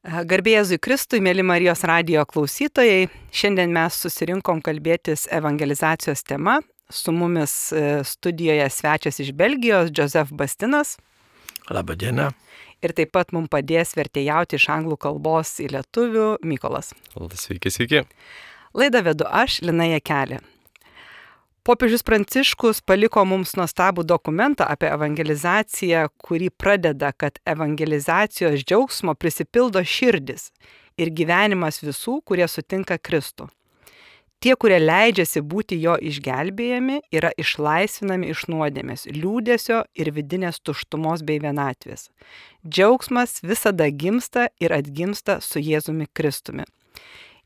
Garbė Jėzui Kristui, mėly Marijos radijo klausytojai, šiandien mes susirinkom kalbėtis evangelizacijos tema. Su mumis studijoje svečias iš Belgijos, Joseph Bastinas. Labą dieną. Ir taip pat mums padės vertėjauti iš anglų kalbos į lietuvių Mykolas. Sveiki, sveiki. Laidą vedu aš, Lina Jakelė. Popiežius Pranciškus paliko mums nuostabų dokumentą apie evangelizaciją, kurį pradeda, kad evangelizacijos džiaugsmo prisipildo širdis ir gyvenimas visų, kurie sutinka Kristų. Tie, kurie leidžiasi būti jo išgelbėjami, yra išlaisvinami iš nuodėmės, liūdesio ir vidinės tuštumos bei vienatvės. Džiaugsmas visada gimsta ir atgimsta su Jėzumi Kristumi.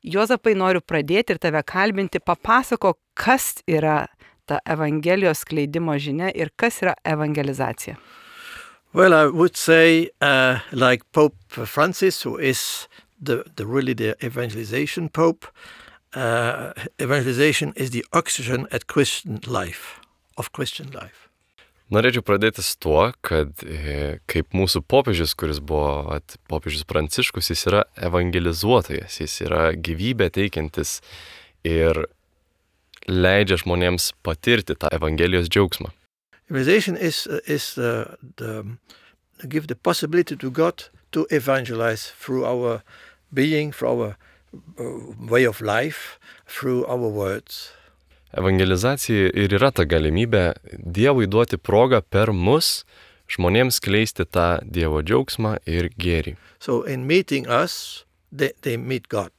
Juozapai, noriu pradėti ir tave kalbinti, papasako, kas yra ta evangelijos skleidimo žinia ir kas yra evangelizacija. Well, I would say, like Pope Francis, who is the evangelization pope, evangelization is the oxygen of Christian life. Norėčiau pradėti su tuo, kad kaip mūsų popiežius, kuris buvo popiežius Pranciškus, jis yra evangelizuotojas, jis yra gyvybę teikiantis ir leidžia žmonėms patirti tą evangelijos džiaugsmą. Evangelization is give the possibility to God to evangelize through our being, through our way of life, through our words. Evangelizacija ir yra ta galimybė Dievui duoti progą per mus žmonėms skleisti tą Dievo džiaugsmą ir gėrį. So in meeting us, they meet God.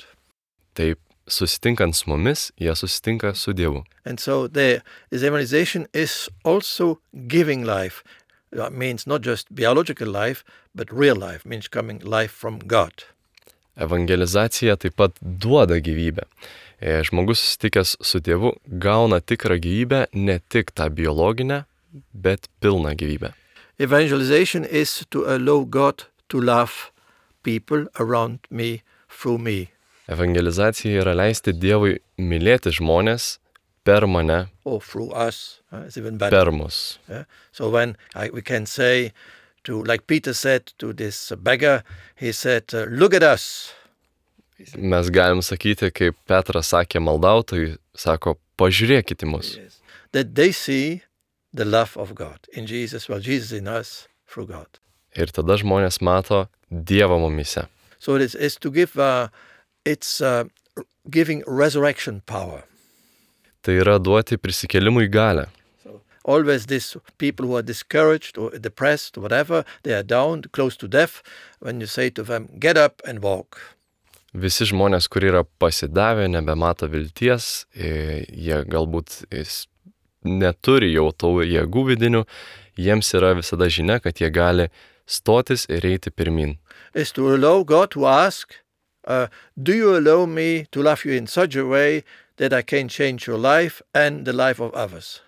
Taip, susitinkant su mumis, jie susitinka su Dievu. And so this evangelization is also giving life. That means not just biological life, but real life, means coming life from God. Evangelizacija taip pat duoda gyvybę. Žmogus susitikęs su Dievu gauna tikrą gyvybę, ne tik tą biologinę, bet pilną gyvybę. Evangelization is to allow God to love people around me through me. Evangelizacija yra leisti Dievui mylėti žmonės per mane, or through us, it's even better. Per mus. Yeah? So when we can say, like Peter said to this beggar, he said, look at us. Mes galim sakyti, kaip Petras sakė maldautojui, sako, pažiūrėkite mus. Yes. That they see the love of God in Jesus, well, Jesus in us through God. Ir tada žmonės mato Dievą mumyse. So it is to give, it's giving resurrection power. Tai yra duoti prisikėlimui galią. So always these people who are discouraged or depressed or whatever, they are down, close to death, when you say to them, get up and walk. Visi žmonės, kurie yra pasidavę, nebemato vilties, jie galbūt neturi jau tų jėgų vidinių, jiems yra visada žinia, kad jie gali stotis ir eiti pirmin. Is to allow God to ask, do you allow me to love you in such a way that I can change your life and the life of others?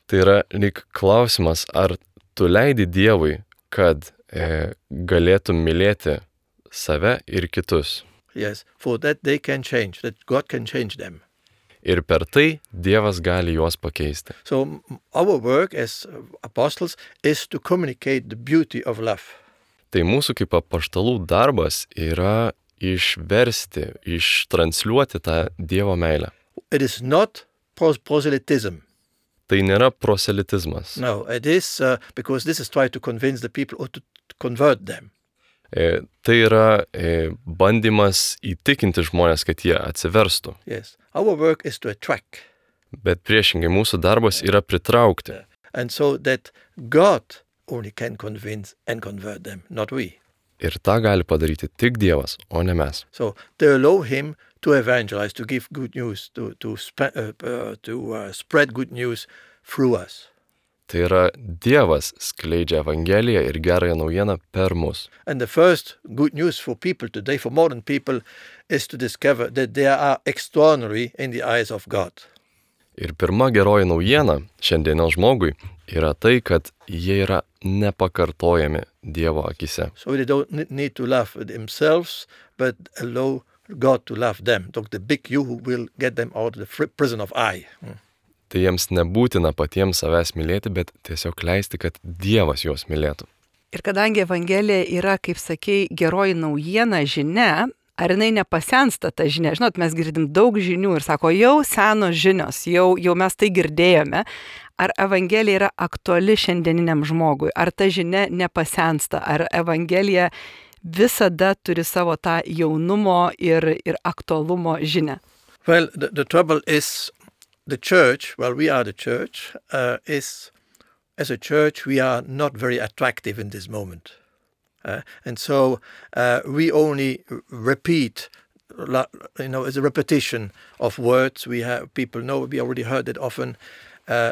Tai yra lyg klausimas, ar tu leidi Dievui, kad galėtum mylėti save ir kitus. Yes, for that they can change, that God can change them. Ir per tai Dievas gali juos pakeisti. So our work as apostles is to communicate the beauty of love. Tai mūsų kaip apaštalų darbas yra išversti, ištransliuoti tą Dievo meilę. It is not proselytism. Tai nėra proselitizmas. No, it is because this is trying to convince the people or to convert them. Tai yra bandymas įtikinti žmonės, kad jie atsiverstų. Yes, our work is to attract. Bet priešingai mūsų darbas yra pritraukti. And so that God only can convince and convert them, not we. Ir tą gali padaryti tik Dievas, o ne mes. So they allow him to evangelize, to give good news, to spread good news through us. Tai yra Dievas skleidžia Evangeliją ir gerąją naujieną per mus. And the first good news for people today, for modern people, is to discover that they are extraordinary in the eyes of God. Ir pirma geroji naujiena šiandienos žmogui yra tai, kad jie yra nepakartojami Dievo akise. So they don't need to love themselves, but allow God to love them. The big you who will get them out of the prison of I. Tai jiems nebūtina patiems savęs mylėti, bet tiesiog leisti, kad Dievas juos mylėtų. Ir kadangi Evangelija yra, kaip sakei, geroji naujiena, žinia, ar jinai nepasensta ta žinia? Žinot, mes girdim daug žinių ir sako, jau senos žinios, jau mes tai girdėjome. Ar Evangelija yra aktuali šiandieniniam žmogui? Ar ta žinia nepasensta? Ar Evangelija visada turi savo tą jaunumo ir aktualumo žinią? Well, the trouble is the church, we are the church, as a church, we are not very attractive in this moment. And so we only repeat, it's a repetition of words. People know, we already heard it often,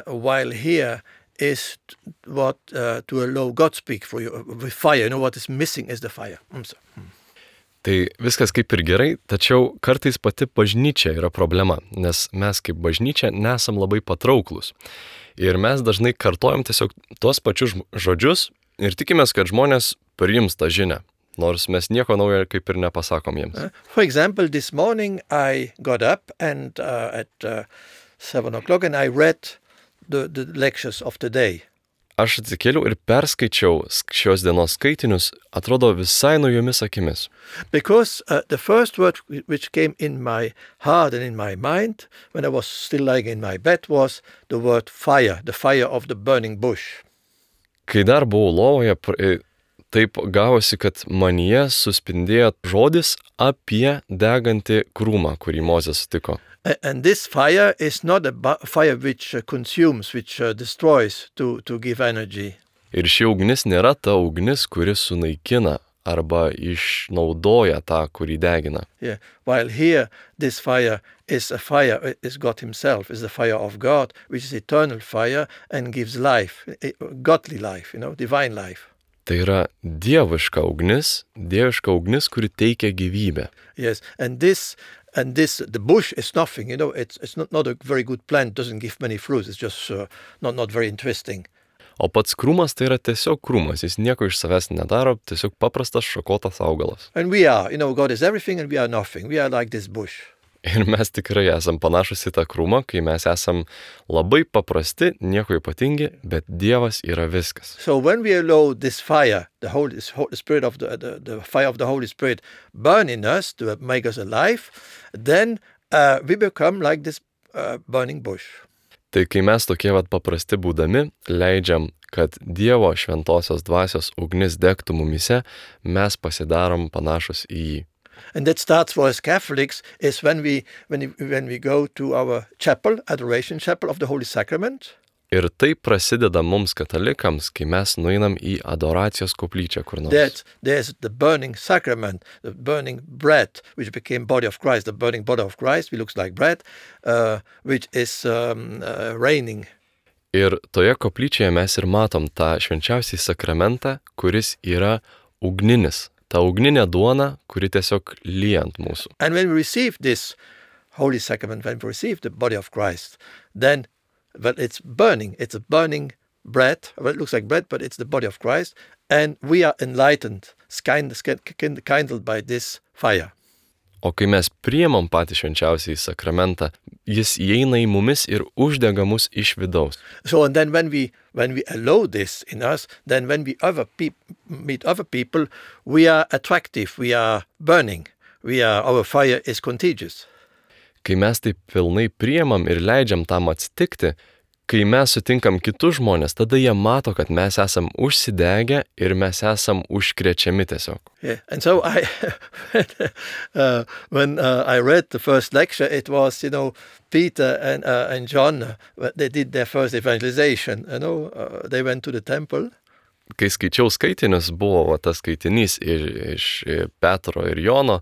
while here is what to allow God speak for you with fire. What is missing is the fire. Tai viskas kaip ir gerai, tačiau kartais pati bažnyčia yra problema, nes mes kaip bažnyčia nesam labai patrauklus. Ir mes dažnai kartojam tiesiog tuos pačius žodžius ir tikimės, kad žmonės priims tą žinią, nors mes nieko naujo kaip ir nepasakom jiems. For example, this morning I got up and at 7 o'clock and I read the lectures of the day. Aš atsikėliau ir perskaičiau šios dienos skaitinius, atrodo visai naujomis akimis. Because the first word which came in my heart and in my mind when I was still lying in my bed was the word fire, the fire of the burning bush. Kai dar buvau lovoje, taip gavosi, kad manyje suspindėjo žodis apie degantį krūmą, kurį Mozė sutiko. And this fire is not a fire which consumes, which destroys to give energy. Ir ši ugnis nėra ta ugnis, kuri sunaikina arba išnaudoja tą, kurį degina. Yeah. While here, this fire is a fire, is God himself, is the fire of God, which is eternal fire and gives life, godly life, divine life. Tai yra dieviška ugnis, kuri teikia gyvybę. Yes, and the bush is nothing, it's not a very good plant, doesn't give many fruits, it's just not very interesting. O pats krūmas tai yra tiesiog krūmas, jis nieko iš savęs nedaro, tiesiog paprastas šakotas augalas. And we are, God is everything and we are nothing, we are like this bush. Ir mes tikrai esam panašus į tą krūmą, kai mes esam labai paprasti, nieko ypatingi, bet Dievas yra viskas. So when we allow this fire, the Holy Spirit of the fire of the Holy Spirit burn in us to make us alive, then we become like this burning bush. Tai kai mes tokie paprasti būdami, leidžiam, kad Dievo šventosios dvasios ugnis degtų mumise, mes pasidarom panašus į jį. And that starts for us Catholics is when we go to our chapel, adoration chapel of the Holy Sacrament. Ir tai prasideda mums katalikams, kai mes nueinam į adoracijos koplyčią kur nors. There's the burning sacrament, the burning bread, which became body of Christ, the burning body of Christ, which looks like bread, which is raining. Ir toje koplyčioje mes ir matom tą švenčiausią sakramentą, kuris yra ugninis. Ta ugninė duona, kuri tiesiog lyja ant mūsų. And when we receive this Holy Sacrament, when we receive the body of Christ, then it's burning. It's a burning bread. Well, it looks like bread, but it's the body of Christ. And we are enlightened, kindled by this fire. O kai mes priimam patį švenčiausiąjį sakramentą, jis įeina į mumis ir uždega mus iš vidaus. So and then when we allow this in us, then when we meet other people, we are attractive, we are burning, our fire is contagious. Kai mes taip pilnai priimam ir leidžiam tam atsitikti, kai mes sutinkam kitus žmonės, tada jie mato, kad mes esam užsidegę ir mes esam užkrečiami tiesiog. Yeah, and so when I read the first lecture, it was, Peter and John, they did their first evangelization, they went to the temple. Kai skaičiau skaitinius, buvo tas skaitinys iš Petro ir Jono,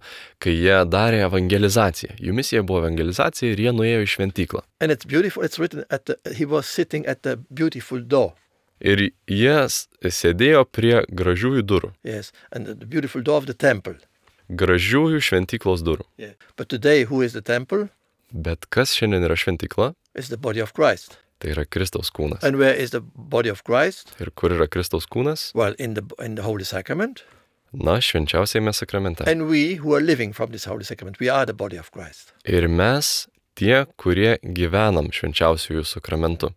kai jie darė evangelizaciją. Jų misija buvo evangelizacija ir jie nuėjo į šventyklą. And it's beautiful, it's written he was sitting at the beautiful door. Ir jie sėdėjo prie gražiųjų durų. Yes, and the beautiful door of the temple. Gražiųjų šventyklos durų. Yeah. But today, who is the temple? Bet kas šiandien yra šventykla? It's the body of Christ. Tai yra Kristaus kūnas. And where is the body of Christ? Ir kur yra Kristaus kūnas? Well, in the Holy Sacrament. Na, švenčiausiame sakramente. And we who are living from this Holy Sacrament, we are the body of Christ. Ir mes, tie, kurie gyvenam švenčiausiųjų sakramentu.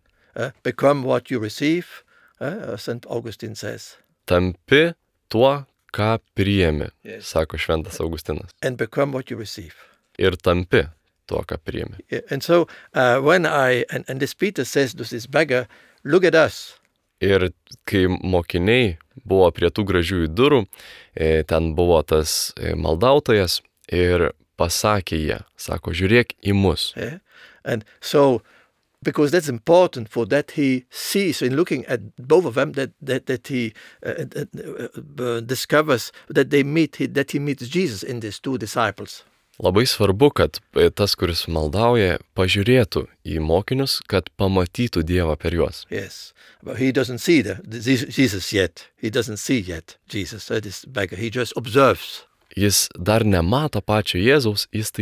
Become what you receive, St. Augustine says. tampi tuo, ką priimi, Yes. sako šventas Augustinas. and become what you receive. Ir tampi tuo, ką priimi. Yeah, and so when and this Peter says to this beggar, look at us. Ir kai mokiniai buvo prie tų gražiųjų durų, ten buvo tas maldautojas ir pasakė jie, sako, žiūrėk į mus. Yeah? And so, because that's important for that he sees in looking at both of them, that he discovers that that he meets Jesus in these two disciples. Labai svarbu, kad tas, kuris maldauja, pažiūrėtų į mokinius, kad pamatytų Dievą per juos. Yes, but he doesn't see Jesus yet. He doesn't see yet Jesus, this beggar. He just observes. Jis dar nemato pačio Jėzaus, jis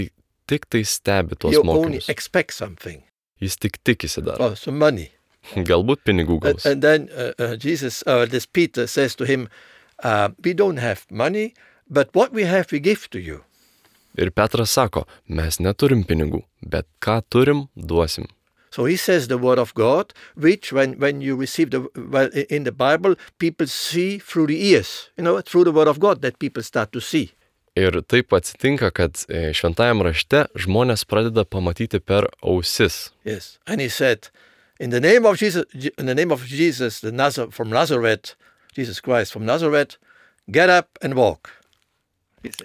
tik tai stebi tuos He only mokinius. expects something. Jis tik tikisi dar. Oh, some money. Galbūt pinigų gaus. And then this Peter says to him, we don't have money, but what we have we give to you. Ir Petras sako, mes neturim pinigų, bet ką turim, duosim. So he says the word of God, which when you receive in the Bible, people see through the ears, through the word of God that people start to see. Ir taip atsitinka, kad šventajam rašte žmonės pradeda pamatyti per ausis. Yes, and he said, in the name of Jesus, from Nazareth, Jesus Christ from Nazareth, get up and walk.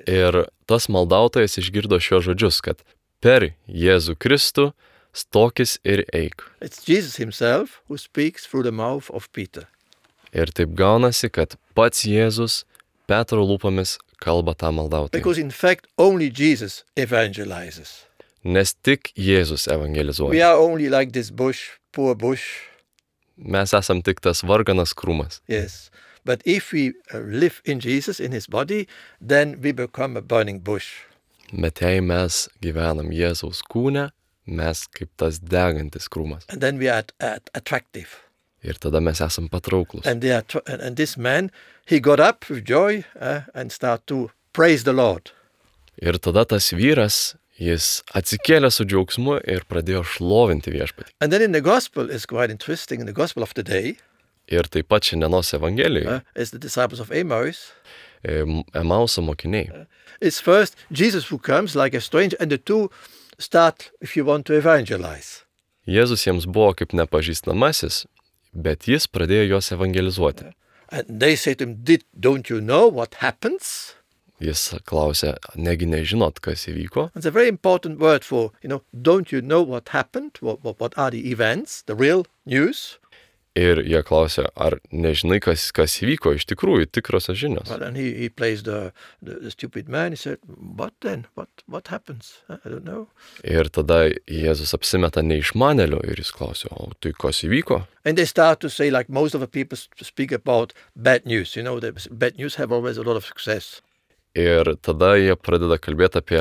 Ir tas maldautojas išgirdo šios žodžius, kad per Jėzų Kristų stokis ir eik. It's Jesus himself who speaks through the mouth of Peter. Ir taip gaunasi, kad pats Jėzus Petro lūpomis kalba tą maldautoją. Because in fact, only Jesus evangelizes. Nes tik Jėzus We evangelizuoja. are only like this poor bush. Mes esam tik tas varganas krūmas. Yes. But if we live in Jesus, in his body, then we become a burning bush. Bet jei mes gyvenam Jėzaus kūne, mes kaip tas degantis krūmas. And then we are attractive. Ir tada mes esam patrauklus. And this man, he got up with joy and started to praise the Lord. Ir tada tas vyras, jis atsikėlė su džiaugsmu ir pradėjo šlovinti viešpatį. And then in the gospel, it's quite interesting, in the gospel of the day, Ir taip pat šiandienos evangelijoje, as the disciples of Emmaus, Emauso mokiniai. it's first Jesus who comes like a stranger, and the two start, if you want, to evangelize. Jėzus jiems buvo kaip nepažįstamasis, bet jis pradėjo juos evangelizuoti. And they say to him, don't you know what happens? Jis klausė, negi nežinot, kas įvyko? It's a very important word for, don't you know what happened? What are the events, the real news? Ir jie klausė, ar nežinai, kas įvyko, iš tikrųjų, tikrosios žinios. Well, and he plays the stupid man. He said, what then? What happens? I don't know. Ir tada Jėzus apsimeta neišmanėliu ir jis klausė, o tai kas įvyko? And they start to say, like most of the people speak about bad news. The bad news have always a lot of success. Ir tada jie pradeda kalbėti apie,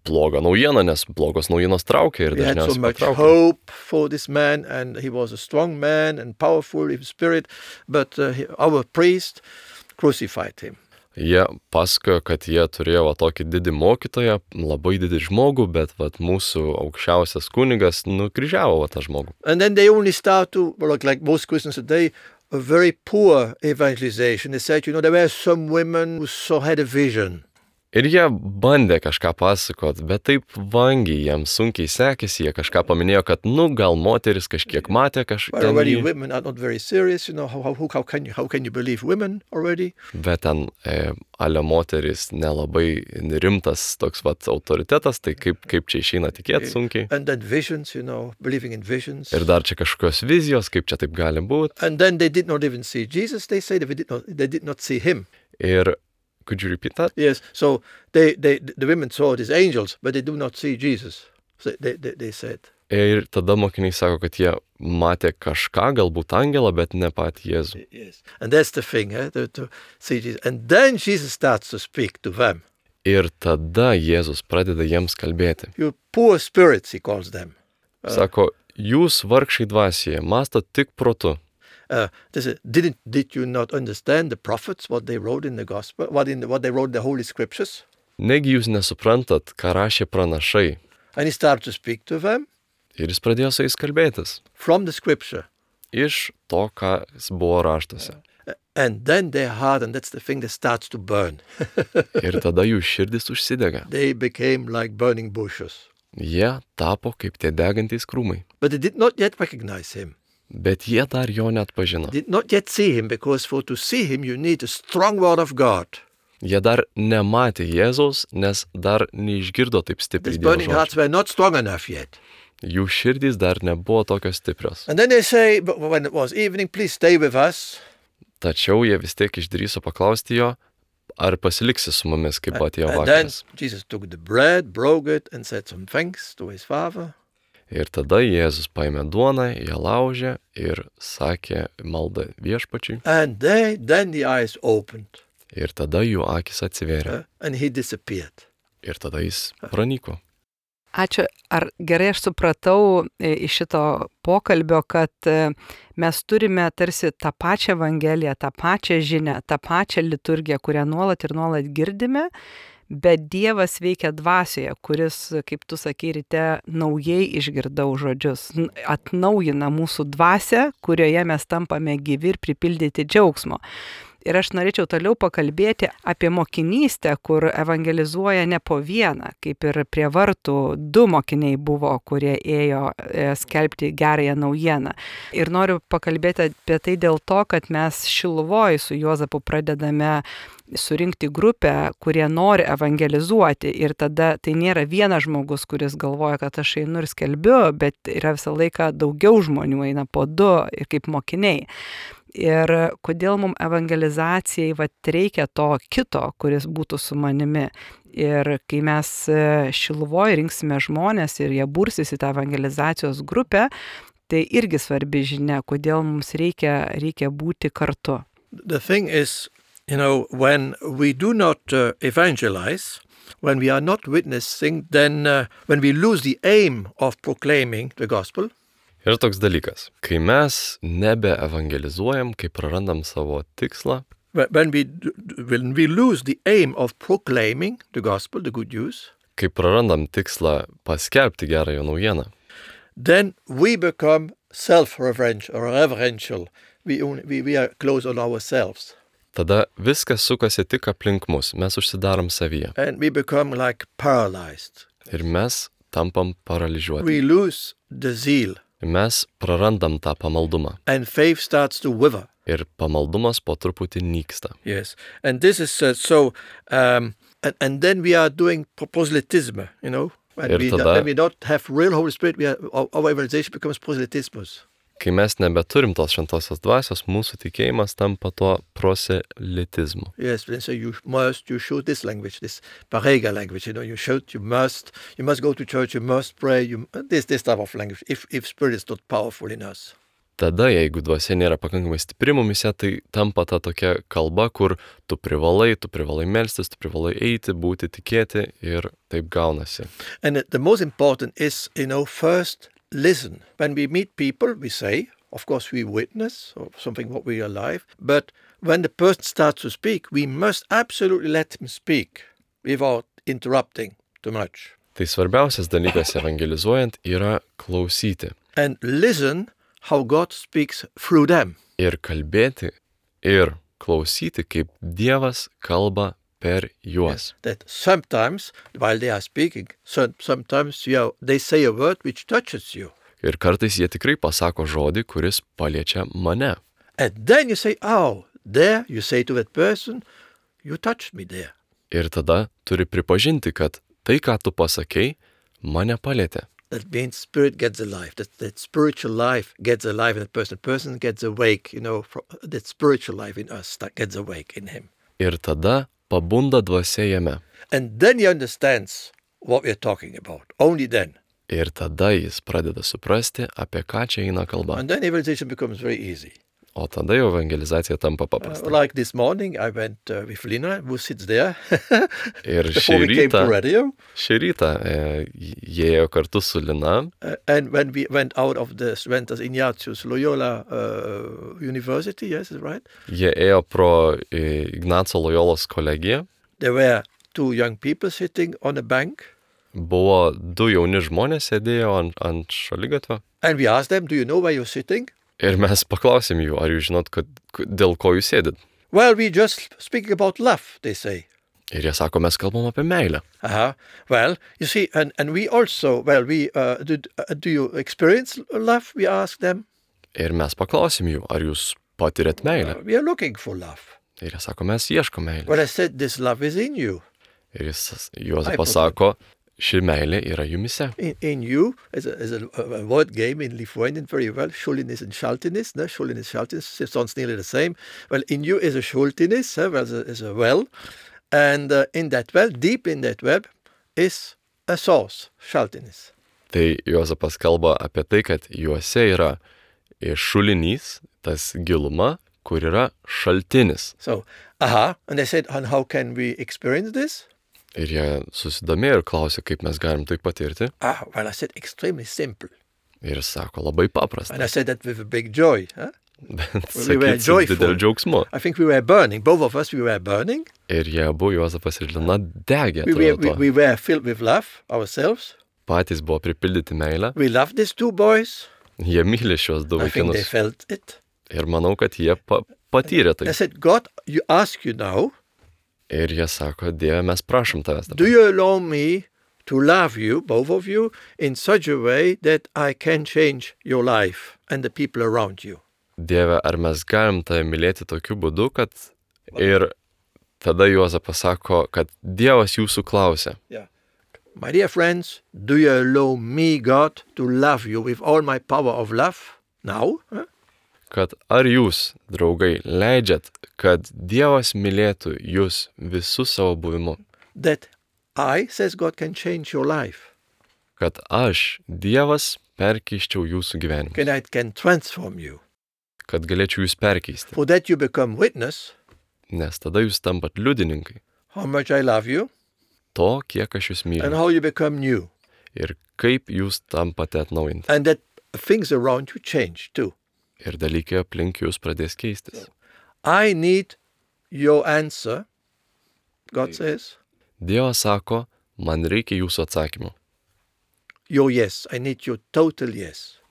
blogą naujieną, nes blogos naujienos traukia ir They had so dažniausiai much patraukia. hope for this man, and he was a strong man and powerful in spirit, but our priest crucified him. Jie pasakojo, kad jie turėjo tokį didį mokytoją, labai didį žmogų, bet mūsų aukščiausias kunigas nukryžiavo tą žmogų. And then they only start to, like most Christians today, a very poor evangelization. They said, there were some women who had a vision. Ir jie bandė kažką pasakot, bet taip vangiai, jiems sunkiai sekėsi, jie kažką paminėjo, kad, gal moteris kažkiek matė But already kažką. women are not very serious. How can you believe women already? Bet ten ale moteris nelabai rimtas toks autoritetas, tai kaip čia išeina tikėti sunkiai. And then visions, believing in visions. Ir dar čia kažkokios vizijos, kaip čia taip gali būti. And then they did not even see Jesus. They say they did not see him. Ir could you repeat that? Yes. So the women saw these angels, but they do not see Jesus. So they said. Ir tada mokiniai sako, kad jie matė kažką, galbūt angelą, bet ne patį Jėzų. Yes. And that's the thing, to see Jesus. And then Jesus starts to speak to them. Ir tada Jėzus pradeda jiems kalbėti. You poor spirits, he calls them. Sako, jūs vargšai dvasioje, mąstot tik protu. Did you not understand the prophets, what they wrote in the gospel, what they wrote in the holy scriptures? Negi jūs nesuprantat, ką rašė pranašai. And he started to speak to them Ir jis pradėjo su jais kalbėtis. from the scripture. Iš to, kas buvo raštuose. And then their heart, and that's the thing that starts to burn. Ir tada jų širdis užsidega. They became like burning bushes. Jie tapo kaip tie degantys krūmai. But they did not yet recognize him. Bet jie dar jo net pažino. Did not yet see him, because for to see him you need a strong word of God. Jie dar nematė Jėzaus, nes dar neišgirdo taip stipriai These Dievo burning hearts žodžių. were not strong enough yet. Jų širdys dar nebuvo tokios stiprios. And then they say, but when it was evening, please stay with us. Tačiau jie vis tiek išdrįso paklausti jo, ar pasiliksi su mumis, kaip atėjo And then vakaras. Jesus took the bread, broke it, and said some thanks to his father. Ir tada Jėzus paėmė duoną, ją laužė ir sakė maldą viešpačiui. And then the eyes opened, Ir tada jų akis atsivėrė. and he disappeared. Ir tada jis pranyko. Ačiū. Ar gerai aš supratau iš šito pokalbio, kad mes turime tarsi tą pačią Evangeliją, tą pačią žinią, tą pačią liturgiją, kurią nuolat ir nuolat girdime, bet Dievas veikia dvasioje, kuris, kaip tu sakei, ryte naujai išgirdau žodžius, atnaujina mūsų dvasią, kurioje mes tampame gyvi ir pripildyti džiaugsmo. Ir aš norėčiau toliau pakalbėti apie mokinystę, kur evangelizuoja ne po vieną, kaip ir prie vartų 2 mokiniai buvo, kurie ėjo skelbti gerąją naujieną. Ir noriu pakalbėti apie tai dėl to, kad mes Šiluvoj su Juozapu pradedame surinkti grupę, kurie nori evangelizuoti. Ir tada tai nėra vienas žmogus, kuris galvoja, kad aš einu ir skelbiu, bet yra visą laiką daugiau žmonių, eina po 2 ir kaip mokiniai. Ir kodėl mums evangelizacijai reikia to kito, kuris būtų su manimi. Ir kai mes Šiluvoje rinksime žmonės ir jie bursis į tą evangelizacijos grupę, tai irgi svarbi žinia, kodėl mums reikia būti kartu. The thing is, when we do not evangelize, when we are not witnessing, then when we lose the aim of proclaiming the gospel, Ir toks dalykas, kai mes nebeevangelizuojam, kai prarandam savo tikslą, when we lose the aim of proclaiming the gospel, the good news, kai prarandam tikslą paskelbti gerąją naujieną, then we become self-referential. We are close on ourselves. tada viskas sukasi tik aplink mus, mes užsidarom savyje And we become like paralyzed. ir mes tampam paralyžiuoti. We lose the zeal. Mes prarandam tą pamaldumą And faith starts to wither. ir pamaldumas po truputį nyksta. Yes. And this is and then we are doing proselytism, When we don't have real Holy Spirit, our evangelization becomes proselytismus. Kai mes nebeturim tos šventosios dvasios, mūsų tikėjimas tampa tuo proselitizmu. Yes, so you should this language, this Parega language, you must go to church, you must pray, this type of language, if Spirit is not powerful in us. Tada, jeigu dvasia nėra pakankamai stipri mumise, tai tampa ta tokia kalba, kur tu privalai melstis, tu privalai eiti, būti, tikėti ir taip gaunasi. And the most important is, first listen. When we meet people, we say, of course we witness or something what we are alive, but when the person starts to speak, we must absolutely let him speak without interrupting too much. Tai svarbiausias dalykas evangelizuojant yra klausyti. And listen how God speaks through them. Ir kalbėti, ir klausyti, kaip Dievas kalba per juos. That sometimes, while they are speaking, sometimes they say a word which touches you. Ir kartais jie tikrai pasako žodį, kuris paliečia mane. And then you say, there, you say to that person, you touched me there. Ir tada turi pripažinti, kad tai, ką tu pasakei, mane palietė. That means spirit gets alive. That spiritual life gets alive in that person. The person gets awake, that spiritual life in us that gets awake in him. Ir tada pabunda dvasia jame. And then he understands what we are talking about. Only then. Ir tada jis pradeda suprasti, apie ką čia eina kalba. And then evangelization becomes very easy. O tada jau evangelizacija tampa paprasta. Like this morning, I went with Lina, who sits there. Ir Before we came to radio. Šį rytą jie ėjo kartu su Lina. And when we went out of the Sventas Ignatius Loyola University, yes, is right? Jie ėjo pro Ignaco Loyolos kolegiją. There were 2 young people sitting on a bank. Buvo 2 jauni žmonės sėdėjo ant šaligatvio. And we asked them, do you know where you're sitting? Ir mes paklausėm jų, ar jūs žinot, dėl ko jūs sėdit. Well, we just speaking about love, they say. Ir jie sako, mes kalbam apie meilę. Well, you see, and we also, do you experience love? We ask them. Ir mes paklausėm jų, ar jūs patirėt meilę. We are looking for love. Ir jie sako, mes ieškom meilę. Well, I said, this love is in you. Ir Juozapas sako, ši meilė yra jumise. In you, as a word game in Lithuanian very well, šulinis and šaltinis, no? Šulinis, šaltinis, it sounds nearly the same. Well, in you is a šultinis, is a well, and in that well, deep in that well, is a source, šaltinis. Tai Juozapas kalba apie tai, kad juose yra šulinys, tas giluma, kur yra šaltinis. So, and I said, and how can we experience this? Ir jie susidomėjo ir klausė, kaip mes galim tai patirti. Well, I said, extremely simple. Ir sako, labai paprasta. And I said that with a big joy. Bet sakyt, su dideliu džiaugsmu. I think we were burning. Both of us, we were burning. Ir jie abu, Juozapas ir Lina, degė. We were filled with love ourselves. Patys buvo pripildyti meilę. We loved these two boys. Jie myli šios du I think they vaikinus. felt it. Ir manau, kad jie patyrė tai. I said, God, you ask you now, Ir jie sako, Dieve, mes prašom tavęs do dabar. you allow me to love you, both of you, in such a way that I can change your life and the people around you? Dieve, ar mes galim tave mylėti tokiu būdu, kad ir tada Juozapas sako, kad Dievas jūsų klausia. Yeah. My dear friends, do you allow me, God, to love you with all my power of love now? Kad ar jūs, draugai, leidžiat, kad Dievas mylėtų jūs visų savo buvimu. That I, says God, can change your life. Kad aš, Dievas, perkeiščiau jūsų gyvenimą. Can transform you. Kad galėčiau jūs perkeisti. For that you become witness. Nes tada jūs tampat liudininkai. How much I love you. To, kiek aš jūs myliu. And how you become new. Ir kaip jūs tampate atnaujinti. And that things around you change too. Ir dalykai aplink jūs pradės keistis. I need your answer, God says. Dievas sako, man reikia jūsų atsakymų. Your yes. I need your total yes.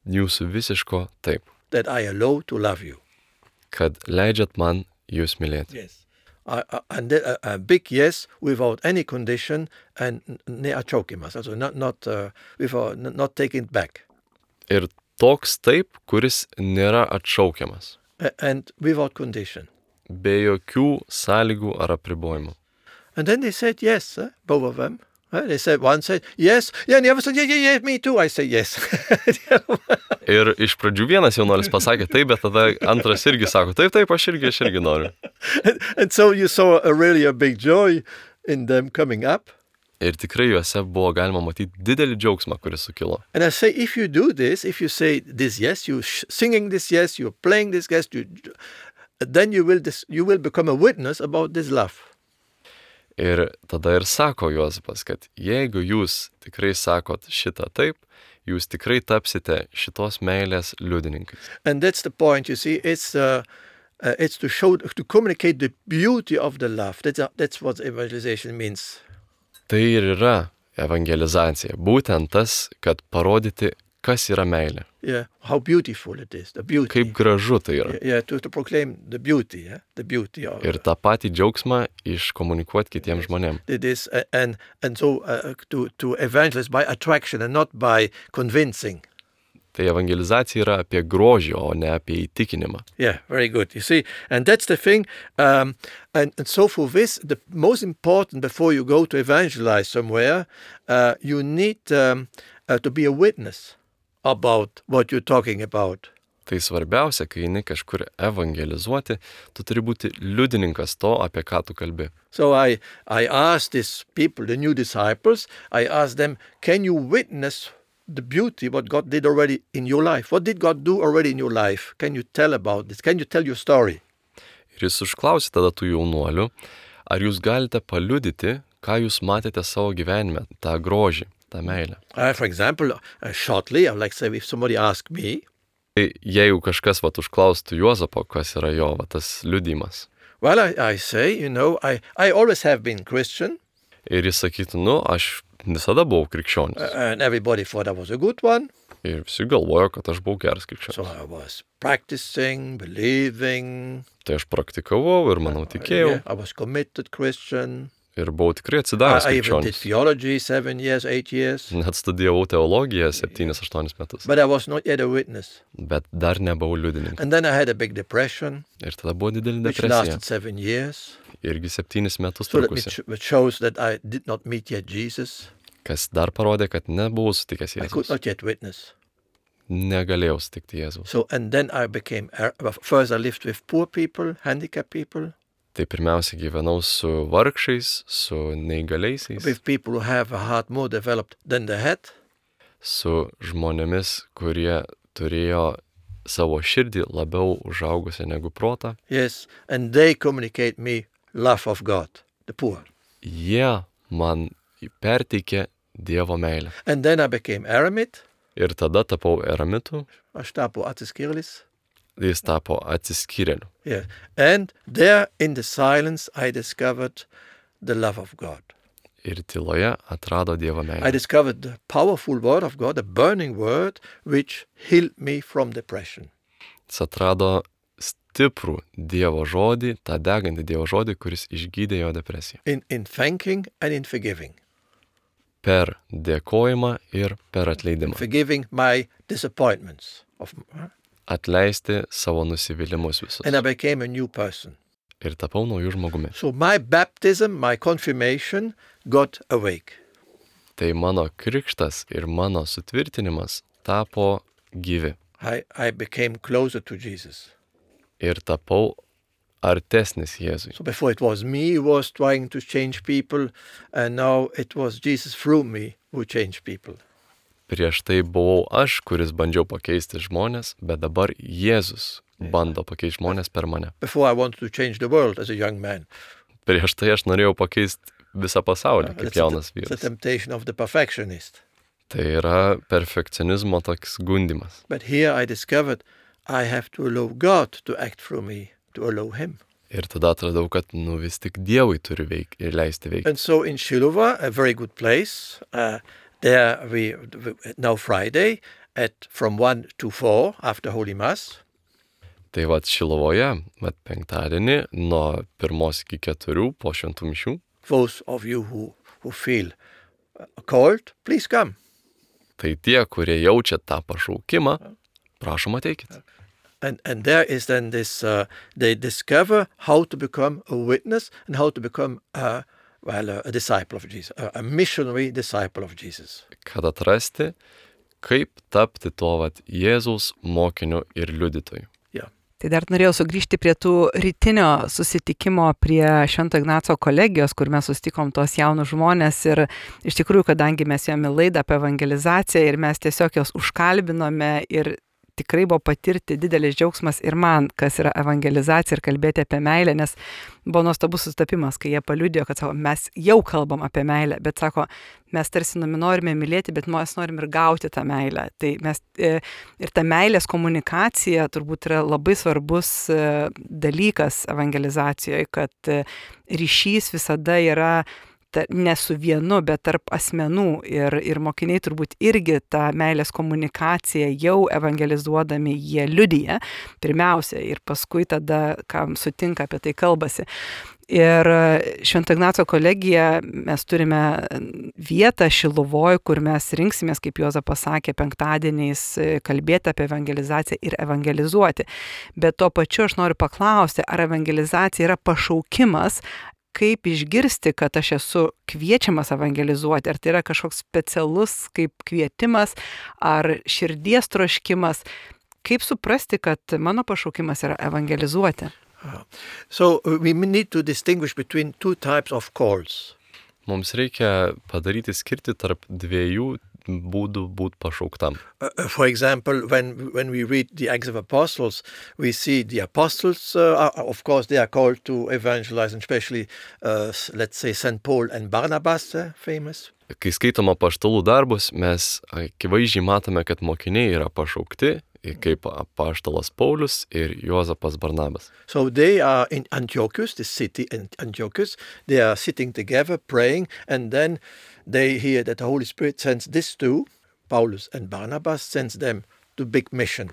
Jūsų visiško taip. That I allow to love you. Kad leidžiat man jūs mylėti. Yes. And a big yes without any condition and neatšaukimas. Also not taking it back. Ir toks taip, kuris nėra atšaukiamas. And without condition. Be jokių sąlygų ar apribojimų. And then they said yes, both of them. They said, one said yes, and the other said, yeah, me too. I say yes. Ir iš pradžių vienas jaunuolis pasakė taip, bet tada antras irgi sako, taip, aš irgi noriu. And so you saw a big joy in them coming up. Ir tikrai juose buvo galima matyti didelį džiaugsmą, kuris sukilo. And I say, if you do this, if you say this yes, you singing this yes, you're playing this yes, then you will become a witness about this love. Ir tada ir sako Juozapas, kad jeigu jūs tikrai sakot šitą taip, jūs tikrai tapsite šitos meilės liudininkais. And that's the point, you see, it's to show, to communicate the beauty of the love. That's what evangelization means. Tai ir yra evangelizacija. Būtent tas, kad parodyti, kas yra meilė. Yeah, how beautiful it is, the beauty. Kaip gražu tai yra. Yeah, to proclaim the beauty, the beauty of. Ir tą patį džiaugsmą iškomunikuoti kitiems žmonėms. It is, and so to evangelize by attraction and not by convincing. Tai evangelizacija yra apie grožį, o ne apie įtikinimą. Yeah, very good. You see, and that's the thing. And so for this, the most important before you go to evangelize somewhere, you need to be a witness about what you're talking about. Tai svarbiausia, kai eini kažkur evangelizuoti, tu turi būti liudininkas to, apie ką tu kalbi. So I asked these people, the new disciples, I asked them, can you witness the beauty, what God did already in your life? What did God do already in your life? Can you tell about this? Can you tell your story? Ir jis užklausė tada tų jaunuolių, ar jūs galite paliudyti, ką jūs matėte savo gyvenime, tą grožį, tą meilę. For example, shortly, I would like to say, if somebody asked me, jeigu kažkas užklaustų Juozapo, kas yra jo tas liudijimas. Well, I say, I always have been Christian. Ir jis sakytų, aš visada buvau krikščionis. And everybody thought I was a good one. Ir visi galvojo, kad aš buvau geras So krikščionis. I was practicing, believing. Tai aš praktikavau ir, manau, tikėjau. I was committed Christian. Ir buvau tikrai atsidavęs I even did krikščionis. theology 7 years, 8 years. Net studijavau teologiją 7-8 metus. But I was not yet a witness. Bet dar nebuvau liudininkas. And then I had a big depression, Ir tada buvo didelė which depresija. lasted 7 years. Irgi 7 metus So that trukusi. which shows that I did not meet yet Jesus. Kas dar parodė, kad nebuvau sutikęs I could Jėzus. not yet witness. Negalėjau sutikti Jėzus. So, and then I became, first I lived with poor people, handicapped people, Tai pirmiausia gyvenau su vargšais, su neįgaliaisiais, with people who have a heart more developed than the head. su žmonėmis, kurie turėjo savo širdį labiau užaugusią negu protą. Yes, and they communicate me love of God, the poor. Jie man perteikė Dievo meilę. And then I became eremit. Ir tada tapau eremitu, Aš tapu atsiskyrėlis. jis tapo atsiskyrėliu. Yeah. And there in the silence I discovered the love of God. Ir tyloje atrado Dievo I meilę. discovered the powerful word of God, a burning word, which healed me from depression. Jis atrado stiprų Dievo žodį, tą degantį Dievo žodį, kuris išgydė jo depresiją. In thanking and in forgiving. Per dėkojimą ir per atleidimą. Forgiving my disappointments. Atleisti savo nusivylimus visus. And I became a new person. Ir tapau naujų žmogumi. So my baptism, my confirmation got awake. Tai mano krikštas ir mano sutvirtinimas tapo gyvi. I became closer to Jesus. Ir tapau artesnis Jėzui. So before it was me who was trying to change people, and now it was Jesus through me who changed people. Prieš tai buvau aš, kuris bandžiau pakeisti žmonės, bet dabar Jėzus bando pakeisti žmonės per mane. Before I wanted to change the world as a young man. Prieš tai aš norėjau pakeisti visą pasaulį kaip jaunas The vyras. temptation of the perfectionist. Tai yra perfekcionizmo toks gundimas. But here I discovered I have to allow God to act through me, to allow Him. Ir tada atradau, kad vis tik Dievui turi leisti veikti. And so in Shiloh, a very good place, there we now Friday from 1 to 4 after Holy Mass. Tai vat Šilovoje, penktadienį nuo 1 iki 4 po šventų mišių. Those of you who feel called, please come. Tai tie, kurie jaučia tą pašaukimą, prašom ateikit. And there is then this, they discover how to become a witness and how to become a disciple of Jesus, a missionary disciple of Jesus. Kad atrasti, kaip tapti to vat Jėzaus mokiniu ir liudytoju. Tai dar norėjau sugrįžti prie tų rytinio susitikimo prie Švento Ignaco kolegijos, kur mes susitikom tos jaunus žmonės ir iš tikrųjų, kadangi mes jome laidą apie evangelizaciją ir mes tiesiog jos užkalbinome ir tikrai buvo patirti didelis džiaugsmas ir man, kas yra evangelizacija ir kalbėti apie meilę, nes buvo nuostabus sutapimas, kai jie paliudijo, kad sako, mes jau kalbam apie meilę, bet sako, mes tarsi norime mylėti, bet mes norim ir gauti tą meilę. Tai mes ir ta meilės komunikacija turbūt yra labai svarbus dalykas evangelizacijoje, kad ryšys visada yra ne su vienu, bet tarp asmenų ir mokiniai turbūt irgi tą meilės komunikaciją jau evangelizuodami jie liudija pirmiausia ir paskui tada, kam sutinka, apie tai kalbasi. Ir Švento Ignaco kolegija mes turime vietą Šiluvoj, kur mes rinksimės, kaip Juozapas pasakė, penktadieniais kalbėti apie evangelizaciją ir evangelizuoti. Bet tuo pačiu aš noriu paklausti, ar evangelizacija yra pašaukimas, kaip išgirsti, kad aš esu kviečiamas evangelizuoti, ar tai yra kažkoks specialus kaip kvietimas, ar širdies troškimas, kaip suprasti, kad mano pašaukimas yra evangelizuoti. So we need to distinguish between two types of calls. Mums reikia padaryti skirti tarp dviejų būdų būti pašauktam. For example, when we read the Acts of Apostles, we see the apostles, of course, they are called to evangelize, and especially, let's say, St. Paul and Barnabas, famous. Kai skaitom apaštalų darbus, mes akivaizdžiai matome, kad mokiniai yra pašaukti, kaip apaštalas Paulius ir Juozapas Barnabas. So they are in Antiochus, the city in Antiochus, they are sitting together praying, and then they hear that the Holy Spirit sends these two Paulus and Barnabas sends them to big mission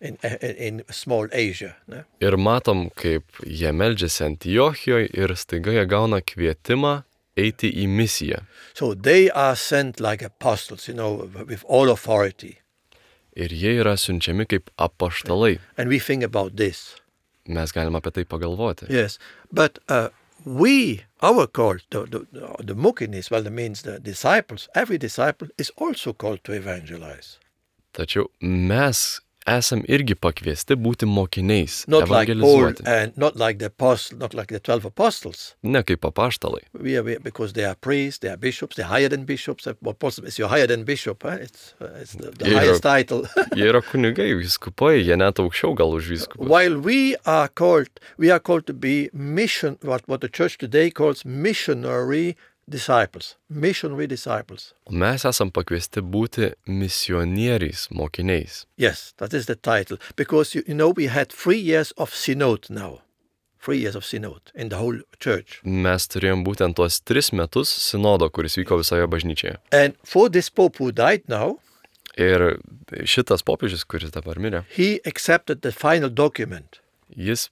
in small Asia. Ne? Ir matom, kaip jie meldžiasi Antiochijoje ir staiga jie gauna kvietimą eiti į misiją. So they are sent like apostles, with all authority. Ir jie yra siunčiami kaip apaštalai. And we think about this. Mes galime apie tai pagalvoti. Yes, but our call, the mukinis, that means the disciples, every disciple is also called to evangelize. Tačiau mes esam irgi pakviesti būti mokiniais, Not like Paul evangelizuoti. and not like the 12 apostles. Ne kaip apaštalai. Because they are priests, they are bishops, they're higher than bishops. Apostle is you're higher than bishop, it's the highest title. Jie yra kunigai, vyskupai, jie net aukščiau gal už vyskupus. While we are called to be what the church today calls missionary disciples. O mes esam pakviesti būti misionieriais, mokiniais. Yes, that is the title. Because, we had 3 years of synod now. 3 years of synod in the whole church. Mes turėjom būtent tuos 3 metus sinodo, kuris vyko visoje bažnyčioje. And for this pope who died now, Ir šitas popiežius, kuris dabar mirė, he accepted the final document. jis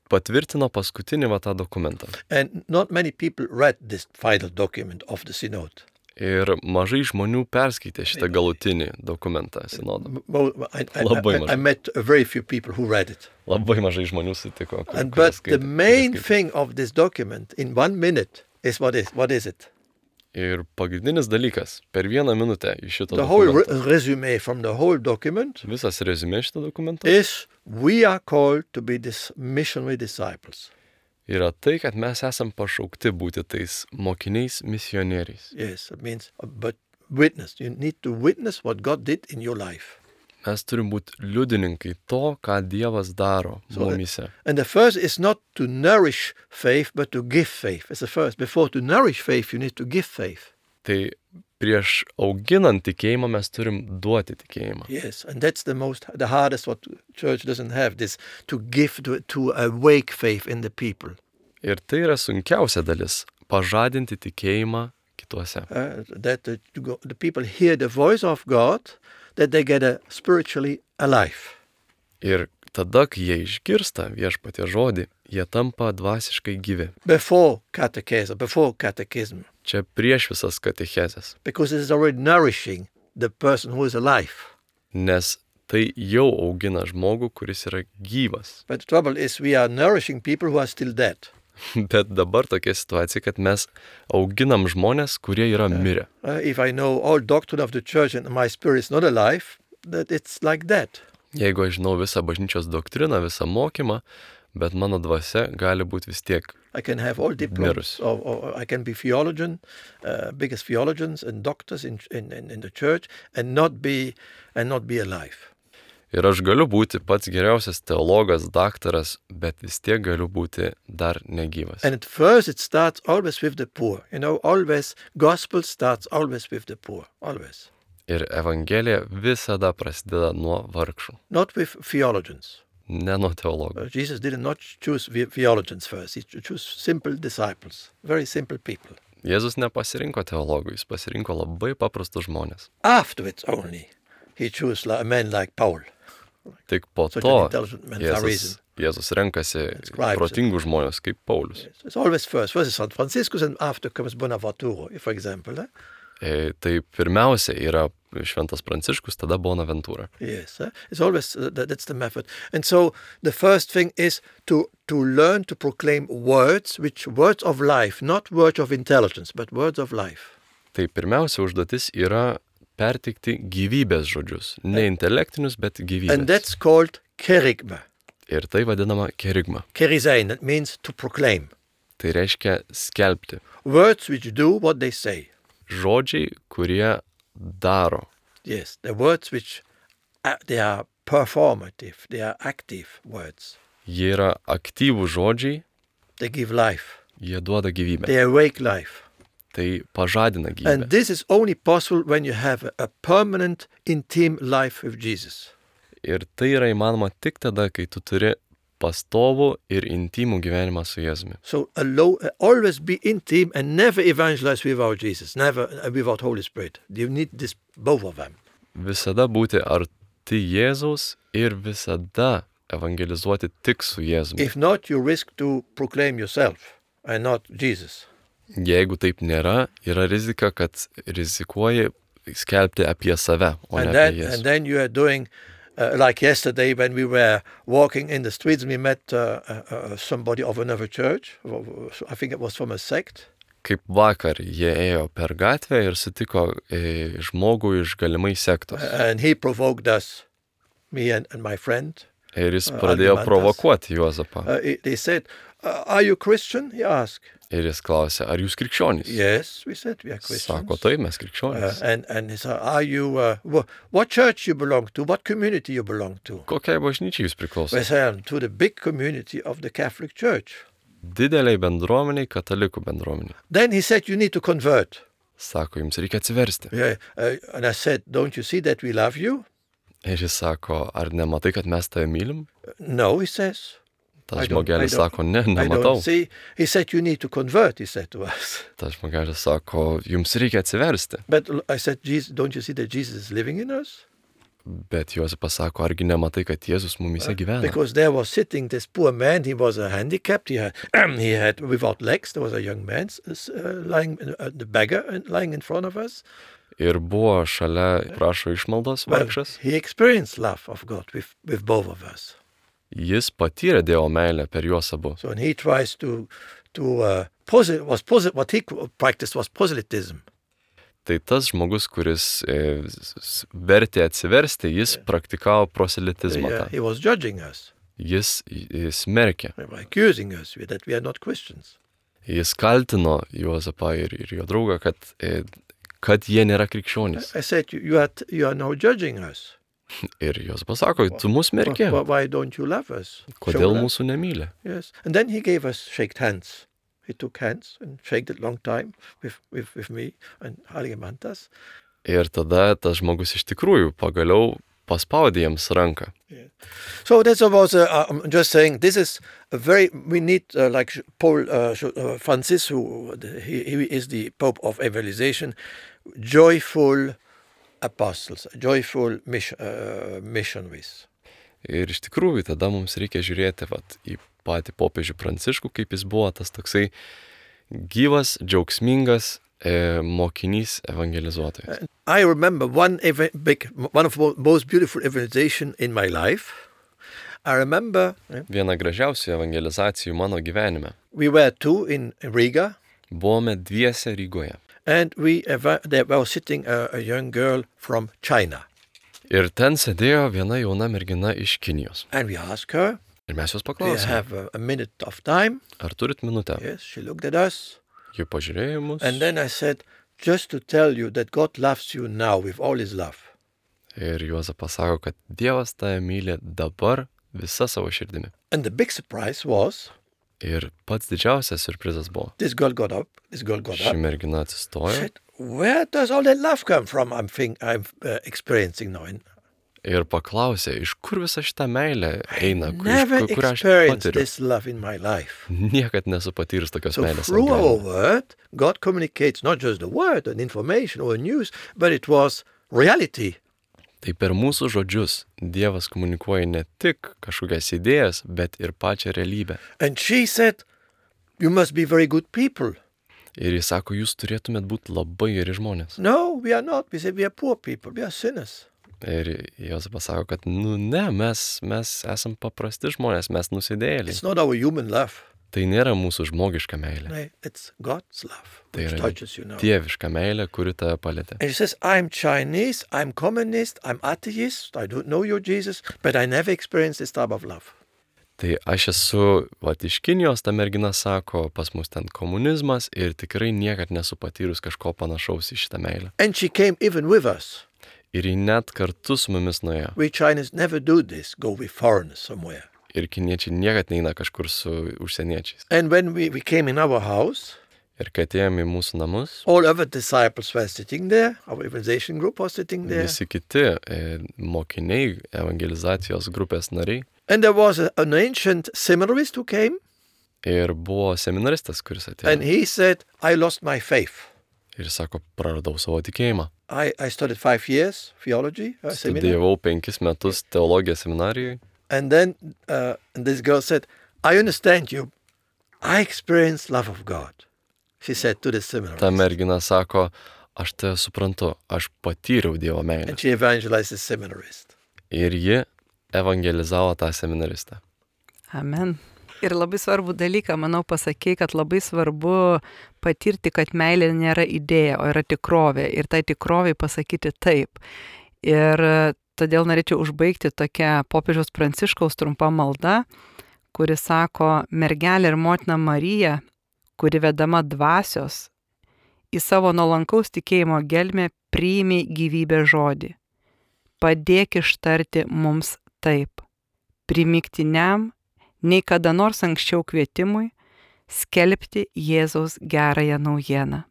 patvirtino paskutinį tą dokumentą. And not many people read this final document of the synod. Ir mažai žmonių perskaitė šitą galutinį dokumentą sinodo. I met very few people who read it. Labai mažai žmonių sutiko. But the main thing of this document in 1 minute is what is it? Ir pagrindinis dalykas, per 1 minutę iš šito The whole dokumento, resume from the whole document visas reziumė šito dokumento, is we are called to be this missionary disciples. yra tai, kad mes esam pašaukti būti tais mokiniais misionieriais. Yes, it means, but witness. You need to witness what God did in your life. Mes turim būti liudininkai to, ką Dievas daro mumyse. And the first is not to nourish faith, but to give faith. It's the first. Before to nourish faith, you need to give faith. Tai prieš auginant tikėjimą mes turim duoti tikėjimą. Yes, and that's the hardest what church doesn't have, this to give, to awake faith in the people. Ir tai yra sunkiausia dalis - pažadinti tikėjimą kituose. That the people hear the voice of God, that they get spiritually alive. Ir tada, kai jie išgirsta viešpatie žodį, jie tampa dvasiškai gyvi. Before catechism. Čia prieš visas katechezes. Because it is already nourishing the person who is alive. Nes tai jau augina žmogų, kuris yra gyvas. But the trouble is we are nourishing people who are still dead. Bet dabar tokia situacija, kad mes auginam žmonės, kurie yra mirę. If I know all doctrine of the church and my spirit is not alive, that it's like that. Jeigu aš žinau visą bažnyčios doktriną, visą mokymą, bet mano dvasia gali būti vis tiek. I can have all diplomas, or I can be theologian, biggest theologians and doctors in the church, and not be alive. Ir aš galiu būti pats geriausias teologas, daktaras, bet vis tiek galiu būti dar negyvas. And at first it starts always with the poor. Always gospel starts always with the poor, always. Ir evangelija visada prasideda nuo vargšų, Not with theologians. ne nuo teologų. Jesus did not choose theologians first. He chose simple disciples, very simple people. Jėzus nepasirinko teologų, jis pasirinko labai paprastus žmonės. Afterwards only, he chose a man like Paul. Tik po Such to an intelligent man, Jėzus renkasi Scribes. protingus žmonės kaip Paulius. It's always first. First is St. Franciscus, and after comes Bonaventura, for example. Tai pirmiausia yra Šventas Pranciškus, tada Bonaventura. Yes, it's always that's the method. And so the first thing is to learn to proclaim words of life, not words of intelligence, but words of life. Tai pirmiausia užduotis yra perteikti gyvybės žodžius, ne intelektinius, bet gyvybės. And that's called kerygma. Ir tai vadinama kerygma. Kerizein, that means to proclaim. Tai reiškia skelbti. Words which do what they say. Žodžiai, kurie daro. Yes, the words which they are performative, they are active words. Jie yra aktyvų žodžiai, They give life. jie duoda gyvybę. They awake life. Tai pažadina gyvybę. And this is only possible when you have a permanent, intimate life with Jesus. Ir tai yra įmanoma tik tada, kai tu turi pastovų ir intimų gyvenimą su Jėzumi. So always be intimate and never evangelize without Jesus, never without Holy Spirit. You need this, both of them. Visada būti arti Jėzaus ir visada evangelizuoti tik su Jėzumi. If not, you risk to proclaim yourself and not Jesus. Jeigu taip nėra, yra rizika, kad rizikuoji skelbti apie save, o ne And apie then, Jėzų. and then you are doing, like yesterday when we were walking in the streets, we met somebody of another church. I think it was from a sect. Kaip vakar jie ėjo per gatvę ir sutiko žmogų iš galimai sektos. And he provoked us, me and my friend. Ir jis pradėjo Algimantas. provokuoti Juozapą. They said, are you Christian? He asked. Ir jis klausė, ar jūs krikščionys? Yes, we said we are Christians. Sako, taip, mes krikščionys. And he said, are you, what church you belong to? What community you belong to? Kokiai bažnyčiai jūs We priklausote? said, to the big community of the Catholic Church. Dideliai bendruomeniai, katalikų bendruomeniai. Then he said, you need to convert. Sako, jums reikia atsiversti. Yeah, and I said, don't you see that we love you? Ir jis sako, ar nematai, kad mes tave mylim? No, he says. Tas I don't- žmogelis I don't- sako, ne, I nematau. don't see. He said, you need to convert, he said to us. Tas žmogelis sako, jums reikia atsiversti. But I said, Jesus, don't you see that Jesus is living in us? Bet Juozapas sako, argi nematai, kad Jėzus mumise gyvena? Because there was sitting this poor man, he was handicapped, he had without legs, there was a young man lying, the beggar lying in front of us. Ir buvo šalia, prašo išmaldos, Well, vargšas. he experienced love of God with both of us. Jis patyrė Dievo meilę per juos abu. So and he tries what he practiced was proselytism. Tai tas žmogus, kuris vertė atsiversti, jis praktikavo proselitizmą. He was judging us, Jis smerkė. accusing us that we are not Christians. Jis kaltino Juozapą ir jo draugą, kad jie nėra krikščionys. I said, you are now judging us. Ir Juozapas sako, tu mus merki. Why don't you love us? Kodėl Show love. mūsų nemyli? Yes. And then he gave us shaked hands. He took hands and shaked it long time with me and Algimantas. Ir tada tas žmogus iš tikrųjų pagaliau paspaudė jiems ranką. So that was, I'm just saying, this is a very, we need, like Paul Francis, he is the Pope of Evangelization, joyful apostles, joyful missionaries. Ir iš tikrųjų tada mums reikia žiūrėti į patį popiežių Pranciškų, kaip jis buvo tas toksai gyvas, džiaugsmingas mokinys evangelizuotojas. I remember one of the most beautiful evangelization in my life. I remember Viena gražiausių evangelizacijų mano gyvenime. we were two in Riga, Buvome dviese Rygoje. and there was sitting a young girl from China. Ir ten sėdėjo viena jauna mergina iš Kinijos. And we asked her, Ir mes jos do you paklausėme, have a minute of time? ar turit minutę? Yes, she looked at us. Ji pažiūrėjo į mus And then I said, just to tell you that God loves you now with all his love. ir Juozapas sako, kad Dievas tave myli dabar visa savo širdimi. And the big surprise was, Ir pats didžiausias surprizas buvo. this girl got up, Ši mergina atsistojo said, where does all that love come from I'm experiencing now? ir paklausė, iš kur visa šita meilė eina, Never kurią aš experienced patiriu. this love in my life. Niekad nesu patyrus tokios So meilės. through savo our gyvenime. word, God communicates not just the word and information or news, but it was reality. Tai per mūsų žodžius Dievas komunikuoja ne tik kažkokias idėjas, bet ir pačią realybę. And she said, you must be very good people. Ir jis sako, jūs turėtumėt būti labai geri žmonės. No, we are not. We said we are poor people. We are sinners. Ir Juozapas sako, kad ne, mes esam paprasti žmonės, mes nusidėjėliai. It's not our human love. Tai nėra mūsų žmogiška meilė. No, it's God's love Tai which yra touches you now. dieviška meilė, kuri tave palėtė. And she says, I'm Chinese, I'm communist, I'm atheist, I don't know you, Jesus, but I never experienced this type of love. Tai aš esu, iš Kinijos, ta mergina sako, pas mus ten komunizmas ir tikrai niekad nesu patyrus kažko panašaus į šitą meilę. And she came even with us. Ir ji net kartu su mumis nuėjo. We Chinese never do this, go with foreigners somewhere. Ir kiniečiai niekad neina kažkur su užsieniečiais. And when we came in our house, Ir kai atėjome į mūsų namus, all other disciples were sitting there, our evangelization group was sitting there, visi kiti mokiniai, evangelizacijos grupės nariai, and there was an ancient seminarist who came, ir buvo seminaristas, kuris and atėjo. he said, I lost my faith. Ir sako, praradau savo tikėjimą. I studied 5 years theology, seminary, Studijavau 5 metus teologijos seminarijoje. and then this girl said, I understand you. I experienced love of God. She said to the seminarist. Ta mergina sako, aš tave suprantu, aš patyriau Dievo meilę. And she evangelized the seminarist. Ir ji evangelizavo tą seminaristą. Amen. Ir labai svarbu dalyką, manau, pasakė, kad labai svarbu patirti, kad meilė nėra idėja, o yra tikrovė. Ir tai tikroviai pasakyti taip. Ir todėl norėčiau užbaigti tokią popiežiaus Pranciškaus trumpa malda, kuri sako, mergelė ir motina Marija, kuri vedama dvasios, į savo nuolankaus tikėjimo gelmę priimi gyvybę žodį. Padėk ištarti mums taip. Primiktiniam, nei kada nors anksčiau kvietimui, skelbti Jėzaus gerąją naujieną.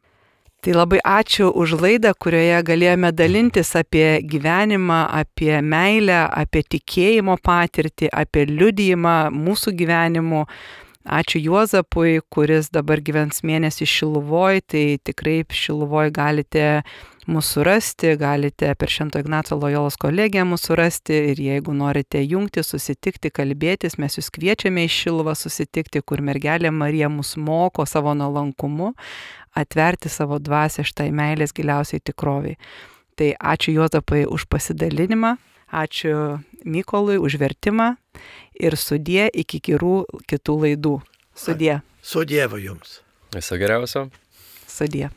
Tai labai ačiū už laidą, kurioje galėjome dalintis apie gyvenimą, apie meilę, apie tikėjimo patirtį, apie liudijimą mūsų gyvenimų. Ačiū Juozapui, kuris dabar gyvens mėnesį Šiluvoj, tai tikrai Šiluvoj galite mūsų rasti, galite per Švento Ignaco Lojolos kolegiją mūsų rasti ir jeigu norite jungti, susitikti, kalbėtis, mes jūs kviečiame į Šiluvą susitikti, kur mergelė Marija mus moko savo nuolankumu atverti savo dvasią šitai meilės giliausiai tikroviai. Tai ačiū Juozapai už pasidalinimą, ačiū Mykolui už vertimą ir sudie iki kitų laidų. Sudie. So Dieva jums. Viso geriausio. Sudie.